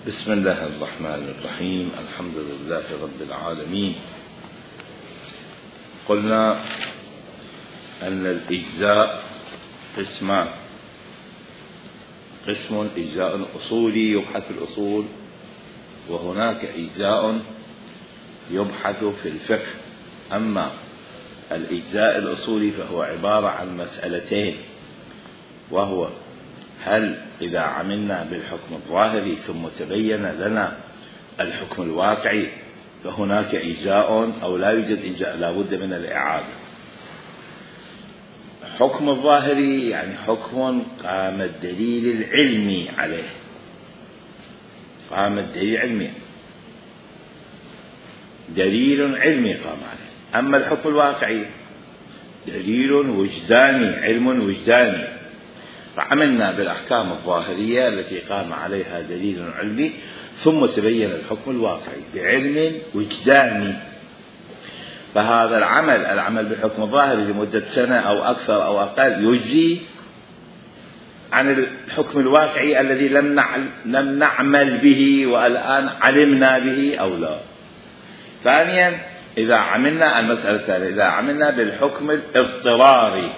بسم الله الرحمن الرحيم. الحمد لله رب العالمين. قلنا أن الإجزاء قسمان: قسم إجزاء أصولي يبحث في الأصول، وهناك إجزاء يبحث في الفقه. أما الإجزاء الأصولي فهو عبارة عن مسألتين، وهو هل إذا عملنا بالحكم الظاهري ثم تبين لنا الحكم الواقعي فهناك إجزاء أو لا يوجد إجزاء، لا بد من الإعادة. حكم الظاهري يعني حكم قام الدليل العلمي عليه، قام الدليل علمي، دليل علمي قام عليه. أما الحكم الواقعي دليل وجداني، علم وجداني. فعملنا بالأحكام الظاهرية التي قام عليها دليل علمي، ثم تبين الحكم الواقعي بعلم وجداني. فهذا العمل بالحكم الظاهري لمدة سنة أو أكثر أو أقل يجزي عن الحكم الواقعي الذي لم نعمل به والآن علمنا به أو لا. ثانيا، إذا عملنا المسألة الثانية، إذا عملنا بالحكم الاضطراري،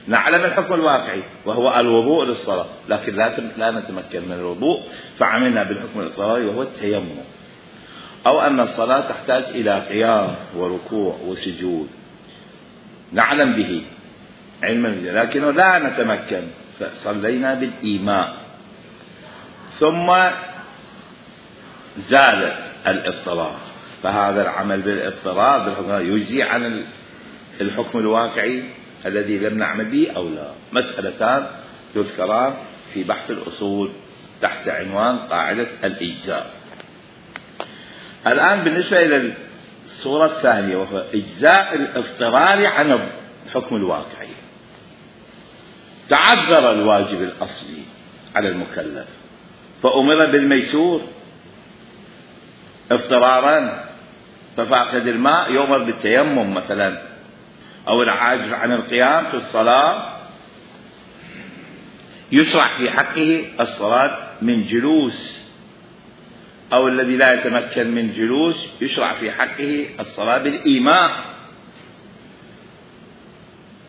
نعلم الحكم الواقعي وهو الوضوء للصلاة، لكن لا نتمكن من الوضوء، فعملنا بالحكم الاضطراري وهو التيمم، أو أن الصلاة تحتاج إلى قيام وركوع وسجود، نعلم به علما لكنه لا نتمكن، فصلينا بالإيماء. ثم زال الاضطرار، فهذا العمل بالاضطرار بالحكم يجزي عن الحكم الواقعي الذي لم نعمل به أو لا. مسألتان يذكران في بحث الأصول تحت عنوان قاعدة الإجزاء. الآن بالنسبة إلى الصورة الثانية، وهو إجزاء الاضطرار عن الحكم الواقعي. تعذر الواجب الأصلي على المكلف فأمر بالميسور اضطرارا، ففاقد الماء يؤمر بالتيمم مثلا، أو العاجز عن القيام في الصلاة يشرع في حقه الصلاة من جلوس، أو الذي لا يتمكن من جلوس يشرع في حقه الصلاة بالإيماء.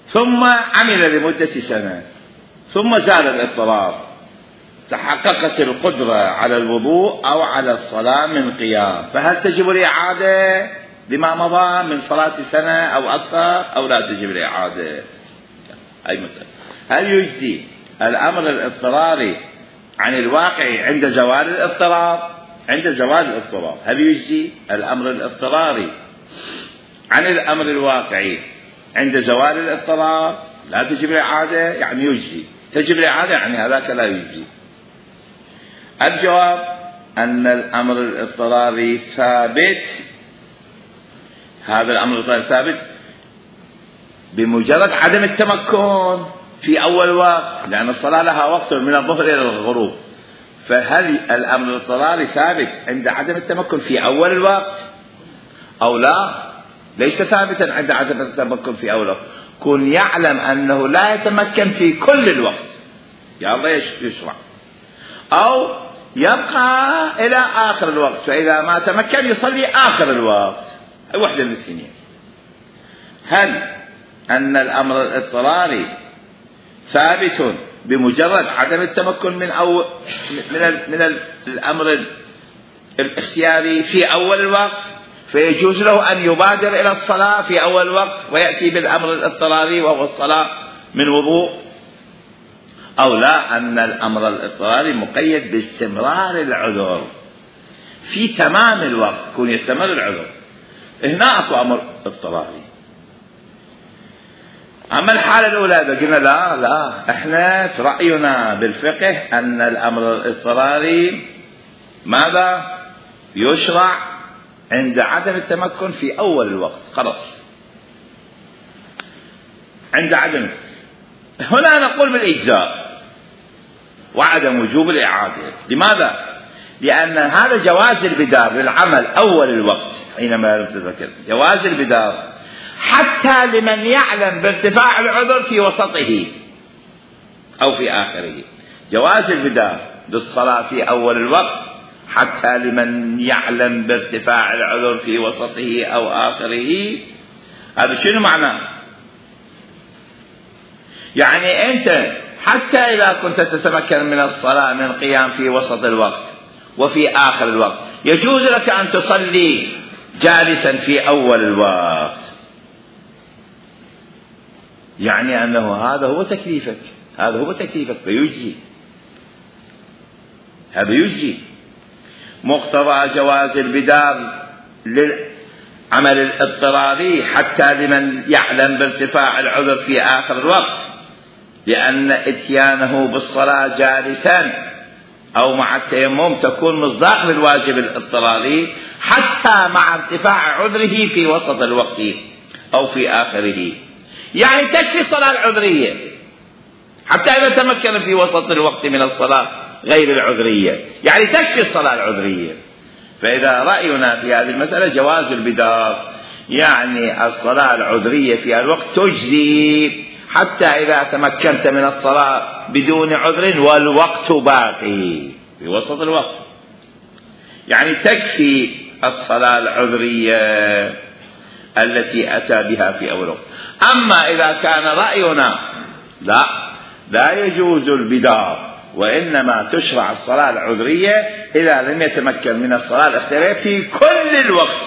ثم عمل لمدة سنة، ثم زال الاضطرار، تحققت القدرة على الوضوء أو على الصلاة من قيام، فهل تجب الإعادة لما مضى من صلاة سنة أو أكثر، أو لا تجب الإعادة؟ أي مسألة. هل يجزي الأمر الاضطراري عن الواقع عند زوال الاضطرار؟ عند زوال الاضطرار هل يجزي الأمر الاضطراري عن الأمر الواقعي عند زوال الاضطرار؟ لا تجب الإعادة يعني يجزي، تجب الإعادة يعني هذاك لا يجزي. الجواب أن الأمر الاضطراري ثابت، هذا الأمر الاضطراري ثابت بمجرد عدم التمكن في أول وقت، لأن الصلاة لها وقت من الظهر إلى الغروب. فهل الأمر الاضطراري ثابت عند عدم التمكن في أول الوقت أو لا؟ ليس ثابتا عند عدم التمكن في أول الوقت. كن يعلم أنه لا يتمكن في كل الوقت، يا الله يشرع، أو يبقى إلى آخر الوقت، فإذا ما تمكن يصلي آخر الوقت، أي واحدة من الاثنين. هل أن الأمر الاضطراري ثابت بمجرد عدم التمكن من الأمر الاختياري في أول الوقت، فيجوز له أن يبادر إلى الصلاة في أول الوقت ويأتي بالأمر الاضطراري وهو الصلاة من وضوء، أو لا أن الأمر الاضطراري مقيد باستمرار العذر في تمام الوقت، يكون يستمر العذر. هنا أكو أمر اضطراري. أما الحالة الأولى قلنا لا إحنا في رأينا بالفقه أن الأمر الاضطراري ماذا يشرع عند عدم التمكن في أول الوقت، خلاص عند عدم. هنا نقول بالإجزاء وعدم وجوب الإعادة. لماذا؟ لأن هذا جواز البدار للعمل أول الوقت حينما لم تذكر، جواز البدار حتى لمن يعلم بارتفاع العذر في وسطه أو في آخره. جواز البدار للصلاة في أول الوقت حتى لمن يعلم بارتفاع العذر في وسطه أو آخره. هذا شنو معناه؟ يعني أنت حتى إذا كنت تتمكن من الصلاة من القيام في وسط الوقت وفي آخر الوقت، يجوز لك أن تصلي جالسا في أول الوقت، يعني أنه هذا هو تكليفك، هذا هو تكليفك فيجزي، هذا يجزي. مقتضى جواز البدار للعمل الاضطراري حتى لمن يعلم بارتفاع العذر في آخر الوقت، لأن إتيانه بالصلاة جالسا أو مع التيمم تكون مصداق للواجب الاضطراري حتى مع ارتفاع عذره في وسط الوقت أو في آخره. يعني تكفي الصلاة العذرية حتى إذا تمكن في وسط الوقت من الصلاة غير العذرية، يعني تكفي الصلاة العذرية. فإذا رأينا في هذه المسألة جواز البدار، يعني الصلاة العذرية في الوقت تجزي حتى إذا تمكنت من الصلاة بدون عذر والوقت باقي في وسط الوقت، يعني تكفي الصلاة العذرية التي أتى بها في أول وقت. أما إذا كان رأينا لا يجوز البدار وإنما تشرع الصلاة العذرية إذا لم يتمكن من الصلاة الاختيارية في كل الوقت،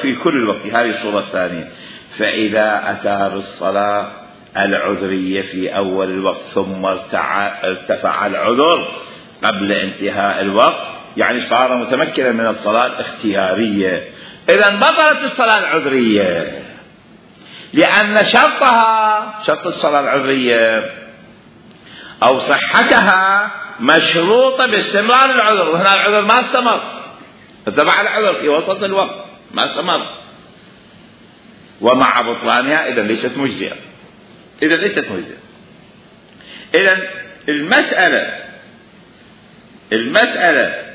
في كل الوقت، هذه الصورة الثانية. فإذا أتى بالصلاة العذرية في أول الوقت ثم ارتفع العذر قبل انتهاء الوقت، يعني صار متمكنا من الصلاة الاختيارية، إذن بطلت الصلاة العذرية، لأن شرط الصلاة العذرية أو صحتها مشروطة باستمرار العذر، وهنا العذر ما استمر، ارتفع العذر في وسط الوقت ما استمر، ومع بطلانها إذا ليست مجزئة. إذن المسألة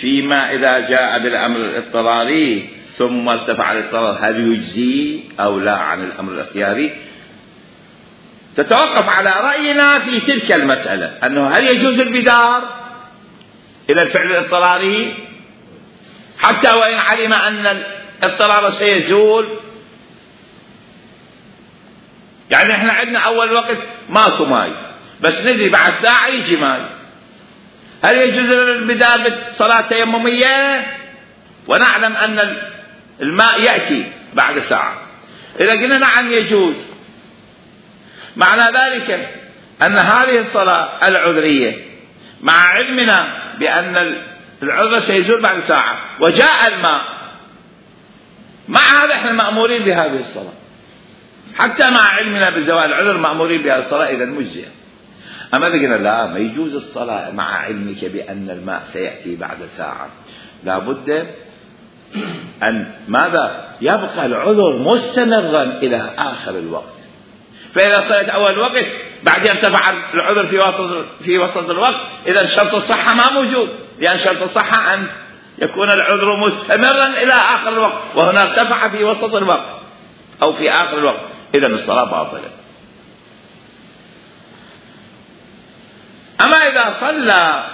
فيما إذا جاء بالأمر الاضطراري ثم ارتفع الاضطرار هل يجزي أو لا عن الأمر الاختياري، تتوقف على رأينا في تلك المسألة، أنه هل يجوز البدار إلى الفعل الاضطراري حتى وإن علم أن الاضطرار سيزول. يعني احنا عندنا أول وقت ماكو ماي، بس ندري بعد ساعة يجي ماي، هل يجوز البدار بالصلاة تيممية ونعلم أن الماء يأتي بعد ساعة؟ إذا قلنا نعم يجوز، معنى ذلك أن هذه الصلاة العذرية مع علمنا بأن العذر سيزول بعد ساعة وجاء الماء، مع هذا احنا مأمورين بهذه الصلاة، حتى مع علمنا بزوال العذر مأمورين بهذه الصلاة، إذا مجزئة. أما إذا قلنا لا ما يجوز الصلاة مع علمك بأن الماء سيأتي بعد ساعة، لابد أن ماذا؟ يبقى العذر مستمرا إلى آخر الوقت. فإذا صلت أول الوقت بعدين ارتفع العذر في وسط الوقت، إذا شرط الصحة ما موجود، لأن شرط الصحة أن يكون العذر مستمرا إلى آخر الوقت، وهنا ارتفع في وسط الوقت أو في آخر الوقت، إذا الصلاة باطلة. أما إذا صلى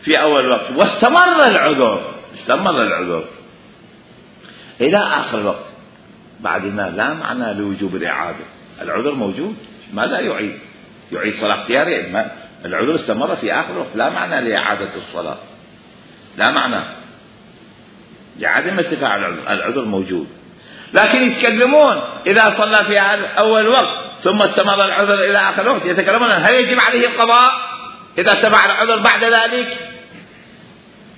في أول الوقت واستمر العذر إلى آخر الوقت، بعدنا لا معنى لوجوب الإعادة، العذر موجود، ماذا يعيد صلاة اختيارية؟ العذر استمر في آخر الوقت، لا معنى لإعادة الصلاة، لا معنى لعدم ارتفاع العذر موجود. لكن يتكلمون إذا صلى في أول وقت ثم استمر العذر إلى آخر الوقت، يتكلمون هل يجب عليه القضاء إذا ارتفع العذر بعد ذلك؟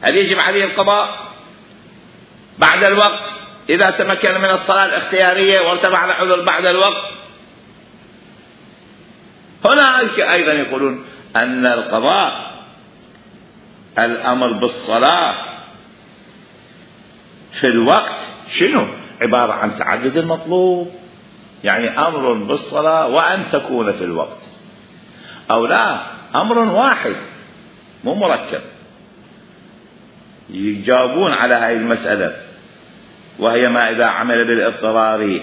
هل يجب عليه القضاء بعد الوقت إذا تمكن من الصلاة الاختيارية وارتفع العذر بعد الوقت؟ هنا أيضا يقولون أن القضاء الأمر بالصلاة في الوقت شنو؟ عبارة عن تعدد المطلوب، يعني أمر بالصلاة وأن تكون في الوقت، أو لا أمر واحد مو مركب. يجاوبون على هذه المسألة، وهي ما إذا عمل بالاضطرار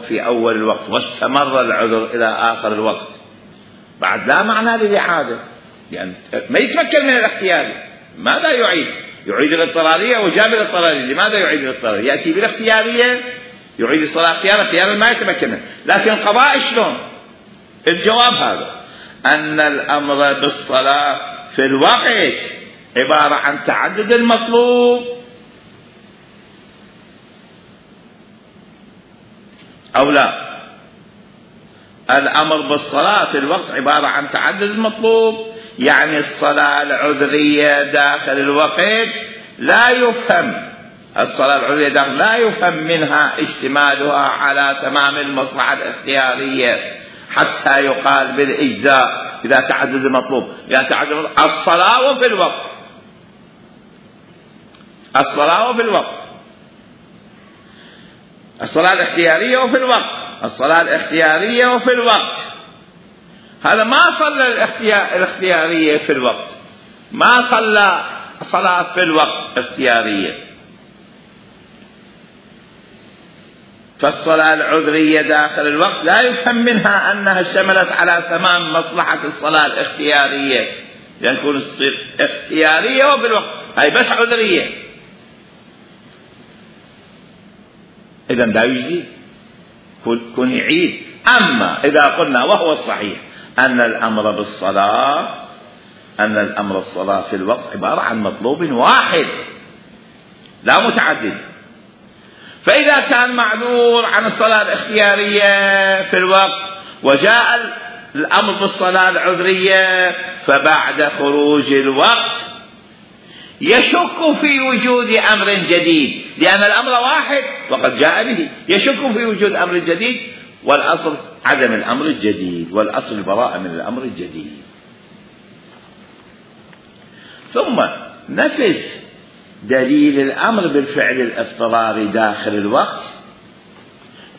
في أول الوقت واستمر العذر إلى آخر الوقت، بعد لا معنى للإعادة، لأن ما يتمكن من الاختياري. ماذا يعيد؟ يعيد الاضطرارية وجاب الاضطرارية. لماذا يعيد الاضطرارية؟ يأتي بالاختيارية يعيد الصلاة اختيارا ما يتمكن منه. لكن القضاء شلون؟ الجواب هذا، أن الأمر بالصلاة في الوقت عبارة عن تعدد المطلوب أو لا. الأمر بالصلاة في الوقت عبارة عن تعدد المطلوب، يعني الصلاة العذرية داخل الوقت لا يفهم، الصلاة العذرية داخل لا يفهم منها اشتمالها على تمام المصلحة الاختيارية حتى يقال بالإجزاء إذا تعدد المطلوب. يعني تعدد الصلاة وفي الوقت، الصلاة وفي الوقت، الصلاة الاختيارية وفي الوقت، الصلاة الاختيارية وفي الوقت. هذا ما صلى الاختيارية في الوقت، ما صلى صلاة في الوقت اختيارية. فالصلاة العذرية داخل الوقت لا يفهم منها أنها اشتملت على تمام مصلحة الصلاة الاختيارية، لأن تكون اختيارية وفي الوقت، هاي بس عذرية، إذن لا يجزي، كن يعيد. أما إذا قلنا وهو الصحيح أن الأمر بالصلاة، أن الأمر الصلاة في الوقت عبارة عن مطلوب واحد لا متعدد، فإذا كان معذور عن الصلاة الاختيارية في الوقت وجاء الأمر بالصلاة العذرية فبعد خروج الوقت يشك في وجود أمر جديد، لأن الأمر واحد وقد جاء به، يشك في وجود أمر جديد، والأصل عدم الأمر الجديد، والأصل البراءة من الأمر الجديد. ثم نفس دليل الأمر بالفعل الاضطراري داخل الوقت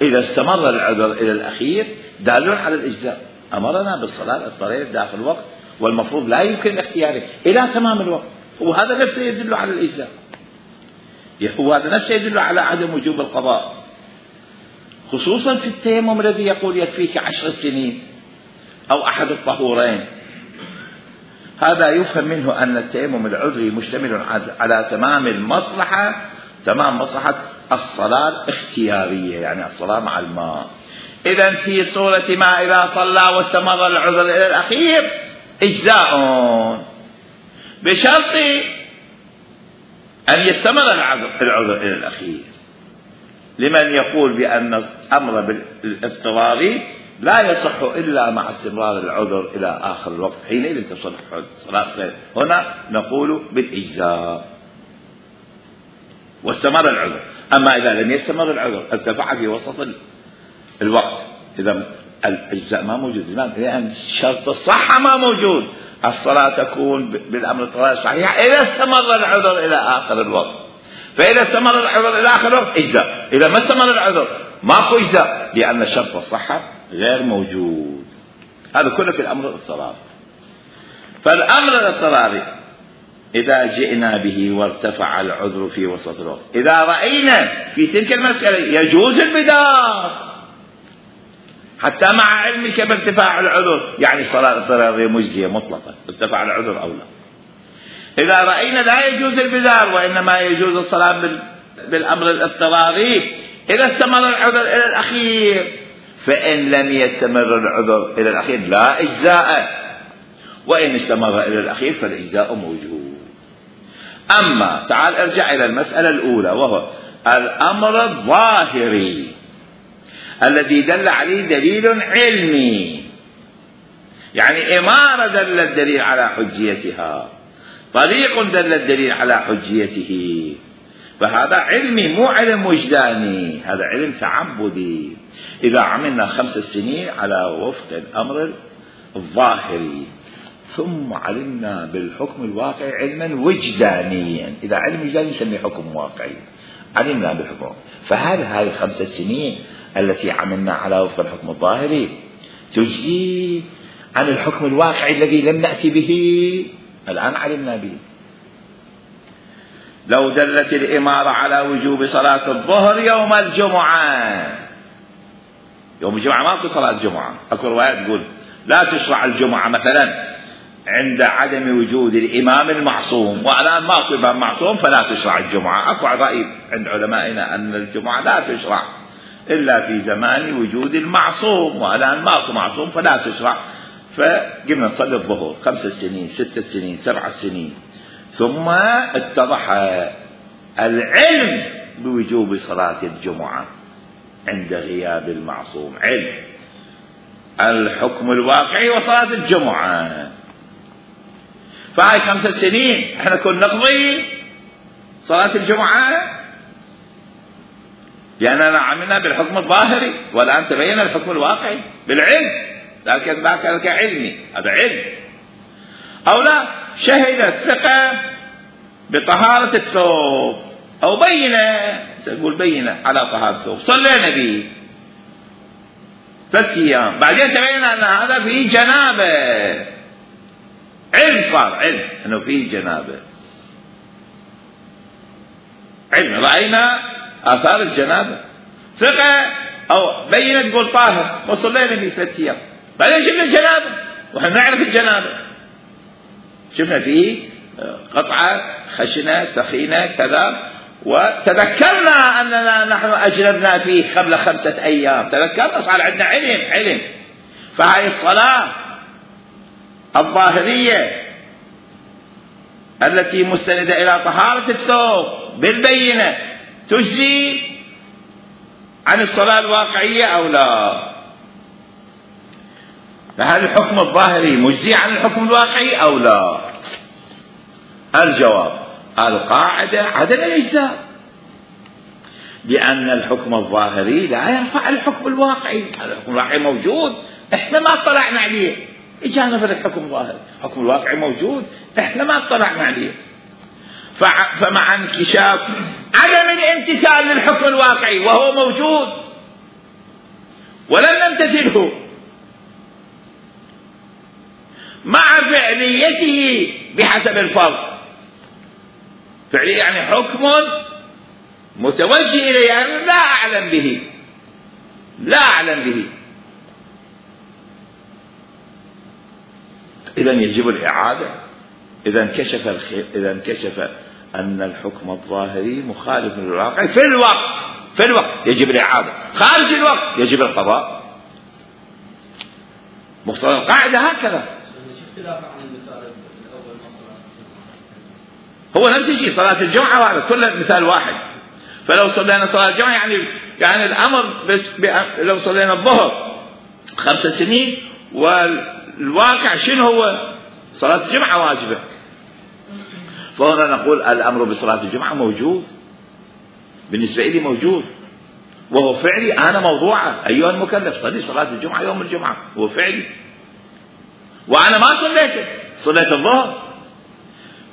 إذا استمر العذر إلى الأخير دال على الإجزاء. أمرنا بالصلاة الاضطرارية داخل الوقت والمفروض لا يمكن الاختياره إلى تمام الوقت، وهذا نفسه يدل على الإجزاء، وهذا نفسه يدل على عدم وجوب القضاء، خصوصا في التيمم الذي يقول يكفيك 10 سنين أو أحد الطهورين. هذا يفهم منه أن التيمم العذري مشتمل على تمام المصلحة، تمام مصلحة الصلاة الاختيارية، يعني الصلاة مع الماء. إذن في صورة ما إذا صلى واستمر العذر إلى الأخير إجزاء، بشرط أن يستمر العذر إلى الأخير. لمن يقول بأن الأمر بالاضطراري لا يصح إلا مع استمرار العذر إلى آخر الوقت، حينئذ تصح صلاة غير. هنا نقول بالإجزاء واستمر العذر. أما إذا لم يستمر العذر ارتفع في وسط الوقت، إذا الإجزاء ما موجود، لأن شرط الصحة ما موجود. الصلاة تكون بالأمر الطوارئ صحيحة إذا استمر العذر إلى آخر الوقت، فإذا استمر العذر إلى آخر الوقت إجزاء، إذا ما استمر العذر ماكو إجزاء، لأن شرط الصحة غير موجود. هذا كله في الأمر الاضطراري. فالأمر الاضطراري إذا جئنا به وارتفع العذر في وسط الوقت، إذا رأينا في تلك المسألة يجوز البدار حتى مع علمك بارتفاع العذر، يعني الصلاة الاضطرارية مجزية مطلقة ارتفع العذر أو لا. إذا رأينا لا يجوز البدار وإنما يجوز الصلاة بالأمر الاضطراري إذا استمر العذر إلى الأخير، فإن لم يستمر العذر إلى الأخير لا إجزاء، وإن استمر إلى الأخير فالإجزاء موجود. أما تعال ارجع إلى المسألة الأولى، وهو الأمر الظاهري الذي دل عليه دليل علمي، يعني إمارة دل الدليل على حجيتها، طريق دل الدليل على حجيته، فهذا علمي مو علم وجداني، هذا علم تعبدي. إذا عملنا 5 سنين على وفق الأمر الظاهري ثم علمنا بالحكم الواقعي علما وجدانيا، إذا علم وجداني نسميه حكم واقعي، علمنا بالحكم، فهل هذه 5 سنين التي عملنا على وفق الحكم الظاهري تجزي عن الحكم الواقعي الذي لم نأتي به؟ الآن علمنا به. لو دلت الإمارة على وجوب صلاة الظهر يوم الجمعة، يوم الجمعة ما في صلاة الجمعة، أكو روايات تقول لا تشرع الجمعة مثلا عند عدم وجود الإمام المعصوم، والآن ماكو إمام معصوم فلا تشرع الجمعة. أكو رأي عند علمائنا أن الجمعة لا تشرع إلا في زمان وجود المعصوم، والآن ماكو معصوم فلا تشرع. فقمنا نصلي الظهر 5 سنين 6 سنين 7 سنين، ثم اتضح العلم بوجوب صلاة الجمعة عند غياب المعصوم، علم الحكم الواقعي وصلاة الجمعة. فهاي 5 سنين احنا كنا نقضي صلاة الجمعة لأننا عملنا بالحكم الظاهري، والآن تبين الحكم الواقعي بالعلم، لكن ذاك علمي، هذا علم. أو لا، شهد الثقة بطهارة الثوب أو بينة، سنقول بينة على طهارة الثوب، صلينا به 3 أيام، بعدين تبين أن هذا فيه جنابة، علم صار علم أنه فيه جنابة، علم رأينا آثار الجنابة، ثقة أو بينة تقول طاهر وصلينا به 3 أيام، بعدين شفنا الجنابة وإحنا نعرف الجنابة، شفنا فيه قطعة خشنة ثخينة كذا، وتذكرنا أننا نحن أجنبنا فيه قبل 5 أيام، تذكرنا صار عندنا علم. فهذه الصلاة الظاهرية التي مستندة إلى طهارة الثوب بالبينة تجزي عن الصلاة الواقعية أو لا؟ فهل الحكم الظاهري مجزي عن الحكم الواقعي أو لا؟ الجواب القاعدة عدم الإجزاء، لأن الحكم الظاهري لا يرفع الحكم الواقعي. الحكم الواقعي موجود، احنا ما اطلعنا عليه، اجانا في الحكم الظاهري، الحكم الواقعي موجود احنا ما اطلعنا عليه. فمع انكشاف عدم الامتثال للحكم الواقعي وهو موجود ولم نمتثله، مع فعليته بحسب الفرض، فعلية يعني حكم متوجه إليه، يعني لا أعلم به، إذن يجب الإعادة. إذا انكشف أن الحكم الظاهري مخالف للواقع في الوقت يجب الإعادة، خارج الوقت يجب القضاء. مقتضى القاعدة هكذا. هو نفس الشيء صلاة الجمعة، وهذا كله مثال واحد. فلو صلينا صلاة الجمعة يعني الأمر بس لو صلينا الظهر 5 سنين، والواقع شنو هو؟ صلاة الجمعة واجبة. فهنا نقول الأمر بصلاة الجمعة موجود، بالنسبة لي موجود، وهو فعلي أنا موضوعة. أيها المكلف صلي صلاة الجمعة يوم الجمعة، هو فعلي، وأنا ما صليت الظهر.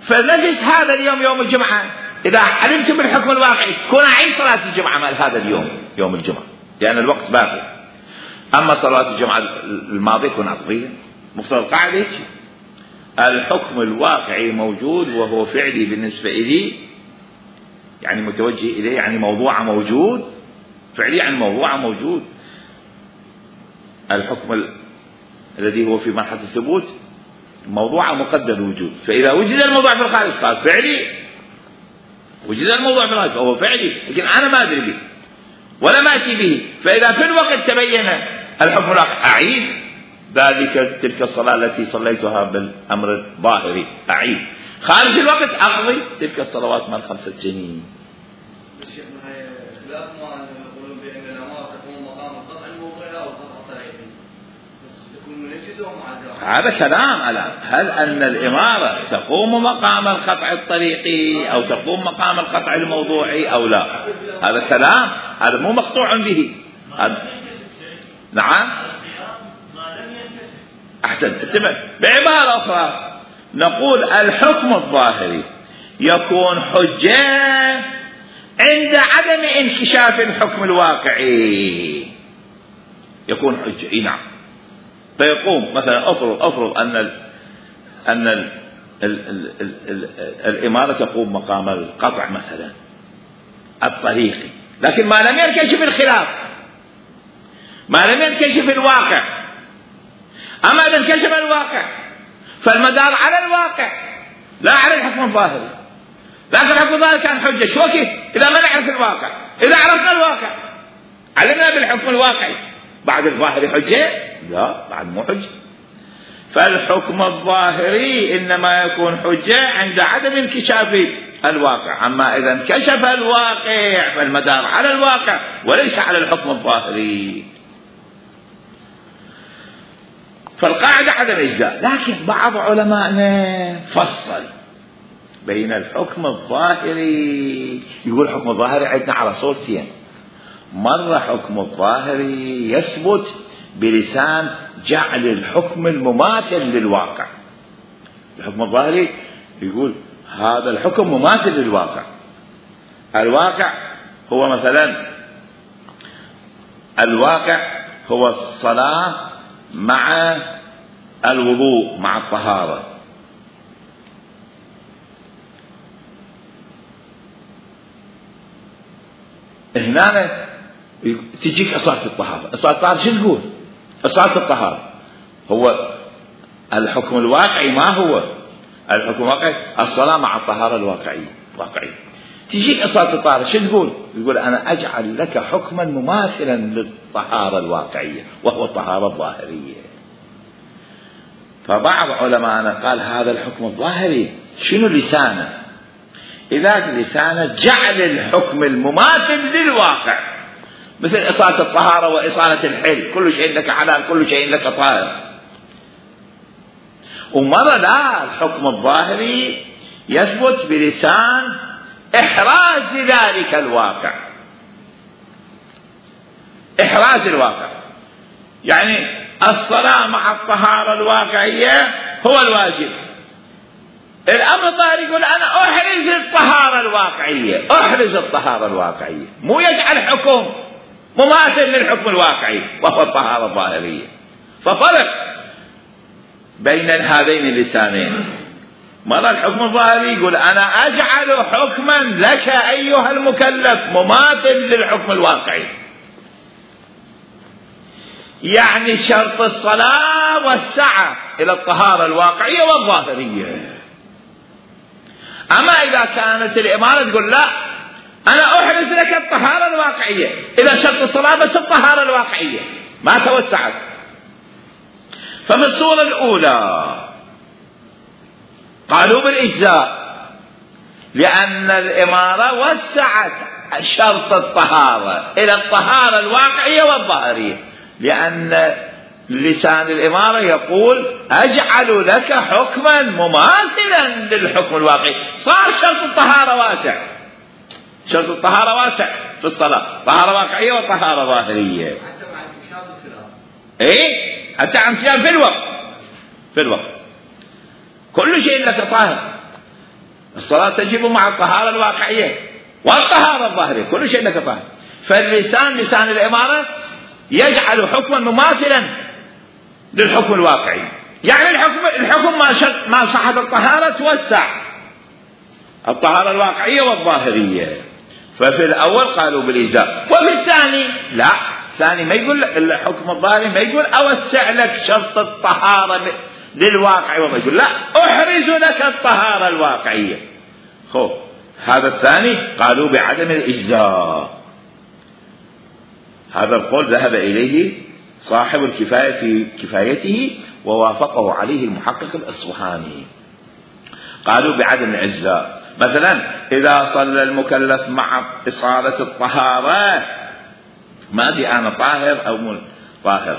فنفس هذا اليوم يوم الجمعة، إذا علمت بالحكم الواقعي كون أعيد صلاة الجمعة مال هذا اليوم يوم الجمعة، لأن الوقت باقي. أما صلاة الجمعة الماضية كون أقضيها. مقتضى القاعدة الحكم الواقعي موجود وهو فعلي بالنسبة إلي، يعني متوجه إليه، يعني موضوع موجود، فعلي يعني موضوع موجود. الحكم الذي هو في مرحلة الثبوت موضوع مقدر الوجود، فإذا وجد الموضوع في الخارج قال فعلي، وجد الموضوع في الخارج فهو فعلي، لكن أنا ما أدري به ولا ماشي به. فإذا في الوقت تبين الحكم الواقعي أعيد تلك الصلاة التي صليتها بالأمر الظاهري، أعيد. خارج الوقت أقضي تلك الصلوات مال 5 سنين. هذا كلام الآن، هل أن الإمارة تقوم مقام القطع الطريقي أو تقوم مقام القطع الموضوعي أو لا؟ هذا كلام، هذا مو مقطوع به. نعم أحسن. بعبارة أخرى نقول الحكم الظاهري يكون حجة عند عدم انكشاف الحكم الواقعي، يكون حجة. نعم. فيقوم مثلا أفرض أن الإمارة تقوم مقام القطع مثلا الطريقي، لكن ما لم ينكشف الخلاف، ما لم ينكشف الواقع. أما إذا انكشف الواقع فالمدار على الواقع لا على الحكم الظاهري. لكن الحكم الظاهري كان حجة شو كيف إذا ما نعرف الواقع. إذا عرفنا الواقع علمنا بالحكم الواقعي بعد الظاهري حجة؟ لا، بعد مو حجة. فالحكم الظاهري إنما يكون حجة عند عدم انكشاف الواقع. أما إذا انكشف الواقع فالمدار على الواقع وليس على الحكم الظاهري. فالقاعدة عدم إجزاء. لكن بعض علمائنا فصل بين الحكم الظاهري، يقول الحكم الظاهري عندنا على صورتين. مرة حكم الظاهري يثبت بلسان جعل الحكم المماثل للواقع. الحكم الظاهري يقول هذا الحكم مماثل للواقع. الواقع هو مثلا الواقع هو الصلاة مع الوضوء مع الطهارة. هنا تجيك إصالة الطهارة. إصالة الطهارة شو تقول؟ إصالة الطهارة هو الحكم الواقعي. ما هو الحكم الواقعي؟ الصلاة مع الطهارة الواقعية. تجيك إصالة الطهارة شو تقول؟ يقول أنا أجعل لك حكما مماثلا للطهارة الواقعية وهو الطهارة الظاهرية. فبعض علماءنا قال هذا الحكم الظاهري شنو لسانه؟ إذا لسانه جعل الحكم المماثل للواقع، مثل إصالة الطهارة وإصالة الحل، كل شيء لك حلال كل شيء لك طاهر. ومرة لا، الحكم الظاهري يثبت بلسان إحراز ذلك الواقع. إحراز الواقع يعني الصلاة مع الطهارة الواقعية هو الواجب. الأمر الظاهري يقول أنا أحرز الطهارة الواقعية، أحرز الطهارة الواقعية، مو يجعل حكم مماثل للحكم الواقعي وهو الطهارة الظاهرية. ففرق بين هذين اللسانين. مرة الحكم الظاهري يقول أنا أجعل حكما لك أيها المكلف مماثل للحكم الواقعي، يعني شرط الصلاة والسعة إلى الطهارة الواقعية والظاهرية. أما إذا كانت الإمارة تقول لا أنا أحرز لك الطهارة الواقعية، إذا شرط الصلاة بس الطهارة الواقعية ما توسعت. ففي الصورة الأولى قالوا بالإجزاء لأن الإمارة وسعت شرط الطهارة إلى الطهارة الواقعية والظاهرية، لأن لسان الإمارة يقول أجعل لك حكما مماثلا للحكم الواقعي. صار شرط الطهارة واسع، شرط الطهارة واسع في الصلاة، طهارة واقعية وطهارة ظاهرية. إيه حتى عن صيام في الوقت كل شيء لك طاهر. الصلاة تجب مع الطهارة الواقعية والطهارة الظاهرية، كل شيء لك طاهر. فاللسان لسان الإمارة يجعل حكما مماثلا للحكم الواقعي، يعني الحكم ما صحت الطهارة توسع الطهارة الواقعية والظاهرية. ففي الأول قالوا بالإجزاء، وفي الثاني لا، الثاني ما يقول الحكم الظاهري ما يقول أوسع لك شرط الطهارة للواقع، وما يقول لا أحرز لك الطهارة الواقعية. هذا الثاني قالوا بعدم الإجزاء. هذا القول ذهب إليه صاحب الكفاية في كفايته ووافقه عليه المحقق الأصفهاني. قالوا بعدم الإجزاء. مثلا إذا صلى المكلف مع إصالة الطهارة، ما أدري أنا طاهر أو مو طاهر،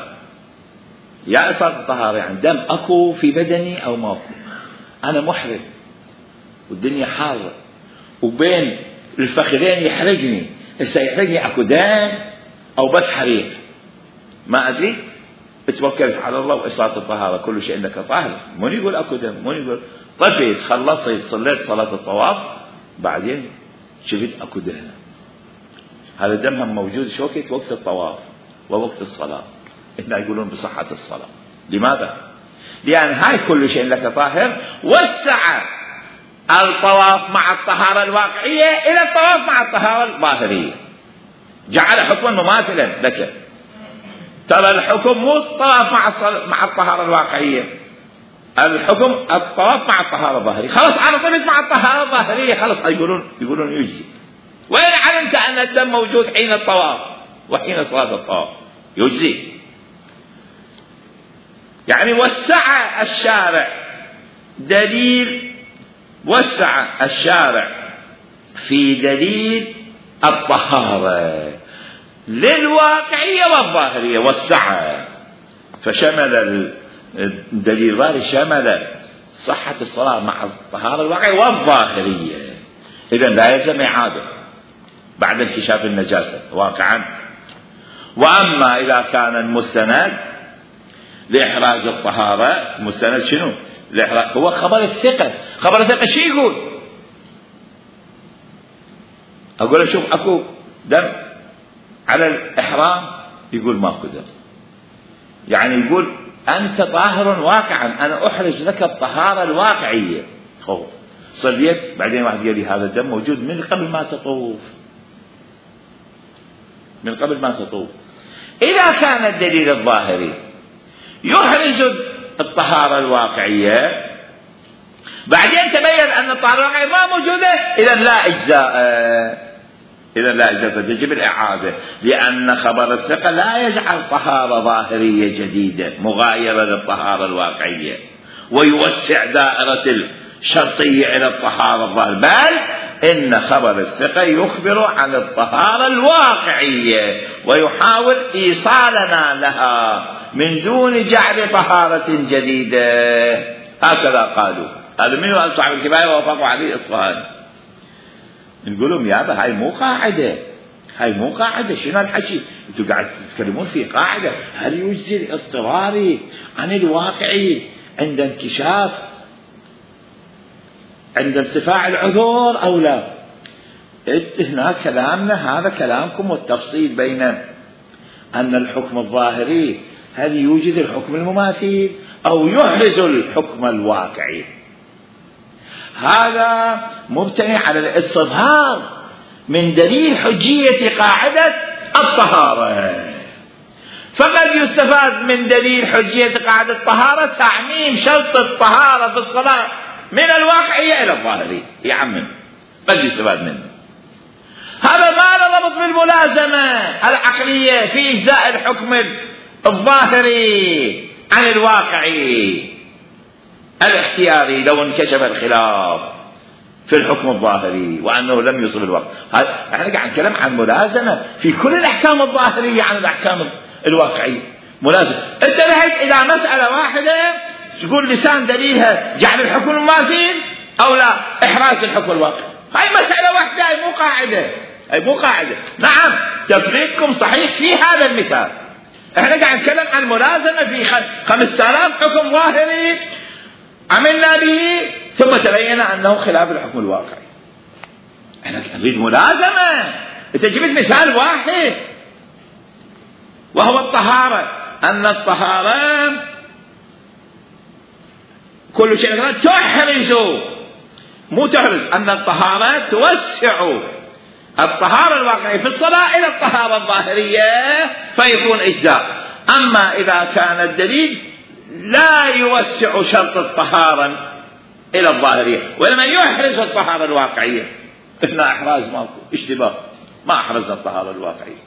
يا إصالة الطهارة يعني دم أكو في بدني أو ما أكو، أنا محرم والدنيا حارة وبين الفخذين يحرجني، هسه يحرجني أكو دم أو بس حريق، ما أدري. اتوكلت على الله وإصالة الطهارة كل شيء إنك طاهر، من يقول أكو دم، من يقول طفيت خلصت صليت صلاة الطواف بعدين شفت أكو دم. هذا الدم هم موجود شوكت وقت الطواف ووقت الصلاة، هنا يقولون بصحة الصلاة. لماذا؟ لأن هاي كل شيء لك طاهر وسع الطواف مع الطهارة الواقعية إلى الطواف مع الطهارة الظاهرية، جعل حكما مماثلا لك. ترى الحكم مو الطواف مع الطهارة الواقعية، الحكم الطواف مع الطهارة الظاهرية، خلاص ارتبط مع الطهارة الظاهرية، خلاص يقولون يجزي. وإن علمت أن الدم موجود حين الطواف وحين صلاة الطواف يجزي. يعني وسع الشارع دليل، وسع الشارع في دليل الطهارة للواقعية والظاهرية، وسعها فشمل الدليل الظاهري شمل صحة الصلاة مع الطهارة الواقعية والظاهرية. إذن لا يلزم إعادة بعد انكشاف النجاسة واقعا. وأما إذا كان المستند لإحراز الطهارة، مستند شنو؟ هو خبر الثقة. خبر الثقة شو يقول؟ أقول شوف أكو دم على الإحرام، يقول ماكو دم، يعني يقول أنت طاهر واقعا، أنا أحرز لك الطهارة الواقعية. خوف صليت بعدين واحد قال لي هذا الدم موجود من قبل ما تطوف، من قبل ما تطوف. إذا كان الدليل الظاهري يحرز الطهارة الواقعية بعدين تبين أن الطهارة الواقعية ما موجودة، إذا لا إجزاء، إذا لا إجزاء، فتجب الإعادة، لأن خبر الثقة لا يجعل طهارة ظاهرية جديدة مغايرة للطهارة الواقعية ويوسع دائرة الشرطية إلى الطهارة الظاهرية، بل إن خبر الثقة يخبر عن الطهارة الواقعية ويحاول إيصالنا لها من دون جعل طهارة جديدة. هكذا قالوا. هذا من قال صاحب الكفاية ووافقوا عليه إصفهاني. نقول لهم يابا هاي مو قاعدة، هاي مو قاعدة. شنو الحكي؟ انتم قاعد تتكلمون في قاعدة. هل يجزي الاضطراري عن الواقعي عند انكشاف، عند ارتفاع العذور أو لا؟ هنا كلامنا هذا كلامكم والتفصيل بين أن الحكم الظاهري هل يوجد الحكم المماثل أو يحرز الحكم الواقعي. هذا مبتني على الاستظهار من دليل حجية قاعدة الطهارة. فقد يستفاد من دليل حجية قاعدة الطهارة تعميم شرط الطهارة في الصلاة من الواقعية إلى الظاهرية، يعمم، قد يستفاد منه. هذا ما له ضبط بالملازمة العقلية في إجزاء الحكم الظاهري عن الواقعي الاختياري لو انكشف الخلاف في الحكم الظاهري وأنه لم يصل الوقت. احنا قاعد نتكلم عن ملازمة في كل الأحكام الظاهرية عن الأحكام الواقعية. ملازمة. انت نهيت إلى مسألة واحدة تقول لسان دليلها جعل الحكم المماثل أو لا إحراز الحكم الواقعي. هاي مسألة واحدة، هاي مو قاعدة، هاي مو قاعدة. نعم تفريقكم صحيح في هذا المثال. احنا قاعد نتكلم عن ملازمة في 5000 حكم ظاهري عملنا به ثم تبين أنه خلاف الحكم الواقعي. احنا نريد ملازمة. انت جبت مثال واحد وهو الطهارة، أن الطهارة كل شيء تحرز، مو تحرز، أن الطهارة توسع الطهارة الواقعية في الصلاة إلى الطهارة الظاهرية فيكون إجزاء. أما إذا كان الدليل لا يوسع شرط الطهارة إلى الظاهرية وإنما يحرز الطهارة الواقعية، إحنا إحراز ماكو، اشتباه، ما أحرز الطهارة الواقعية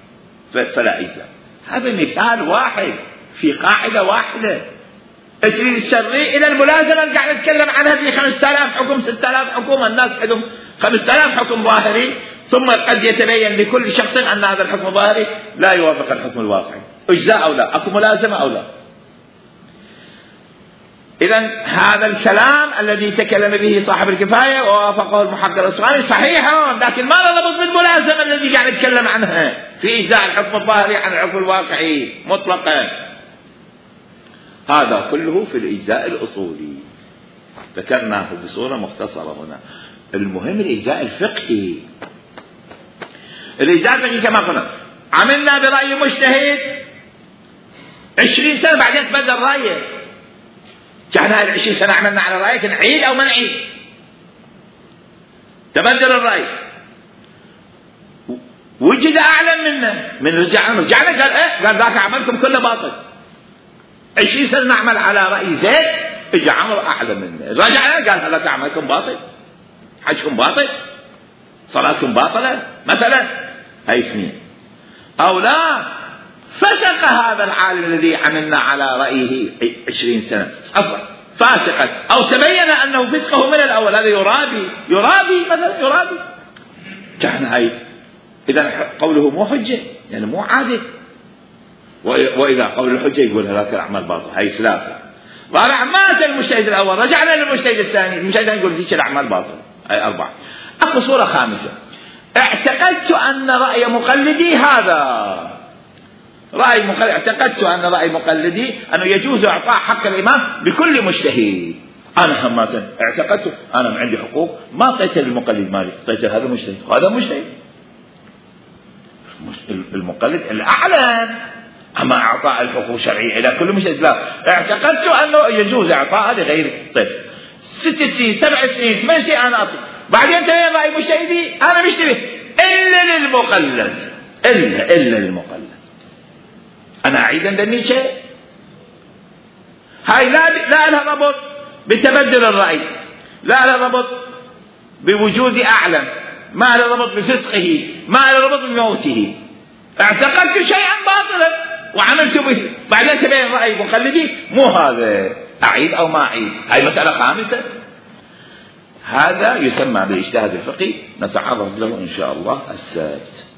فلا إجزاء. هذا مثال واحد في قاعدة واحدة. تريد الشرعي إلى الملازمة اللي قاعد نتكلم عنها في 5000 حكم 6000 حكم، الناس عندهم 5000 حكم ظاهري، ثم قد يتبين لكل شخص أن هذا الحكم الظاهري لا يوافق الحكم الواقعي، إجزاء أو لا، أكو ملازمة أو لا. إذن هذا الكلام الذي تكلم به صاحب الكفاية ووافقه المحقق الأصفهاني صحيح، لكن ما ربط بالملازمة الذي قاعد نتكلم عنها في إجزاء الحكم الظاهري عن الحكم الواقعي مطلقا. هذا كله في الإجزاء الأصولي ذكرناه بصورة مختصرة هنا. المهم الإجزاء الفقهي. الإجزاء الفقهي كما قلنا عملنا برأي مجتهد 20 سنة بعدين تبدل رأيه. كان هاي 20 سنة عملنا على رأيك نعيد أو ما نعيد، تبدل الرأي، وجد أعلم منه من رجعنا قال إيه، قال ذاك عملكم كله باطل. 20 سنة نعمل على رأي زيد اجى عمرو اعلى منه، رجع قال هذا عملكم باطل، حجكم باطل، صلاتكم باطله مثلا. هاي اثنين. او لا، فسق هذا العالم الذي عملنا على رايه 20 سنه اصلا فاسقا، او تبين انه فسقه من الاول، هذا يرابي مثلا، يرابي كان هاي. اذا قوله مو حجه يعني مو عادل. واذا قول الحجه يقول هذاك الاعمال باطل. هاي ثلاثه. رابعا مات المجتهد الاول، رجعنا للمجتهد الثاني، المجتهد الثاني يقول ذيك الاعمال باطل. هاي اربعه. اكو صوره خامسه، اعتقدت ان راي مقلدي هذا رأي مقلد، اعتقدت أن رأي مقلدي أنه يجوز إعطاء حق الإمام بكل مجتهد. أنا هماتا اعتقدت أنا ما عندي حقوق، ما أعطيت للمقلد مالي، أعطيت هذا مجتهد، هذا مجتهد. المقلد الأعلم، أما إعطاء الحقوق الشرعية إلى كل مجتهد لا. اعتقدت أنه يجوز إعطاء لغير. طيب 6 سنين 7 سنين 8 سنين أنا أعطي، بعدين تبين رأي مجتهدي أنا مشتبه إلا للمقلد، إلا للمقلد. أنا أعيد عندني شيء. هاي لا لها ربط بتبدل الرأي، لا لها ربط بوجود أعلم، ما لها ربط بفسقه، ما لها ربط بموته. اعتقدت شيئا باطلا وعملت به، بعدين تبين رأي مقلدي مو هذا، أعيد أو ما أعيد. هاي مسألة خامسة. هذا يسمى بالاجتهاد الفقهي، نتعرض له إن شاء الله السبت.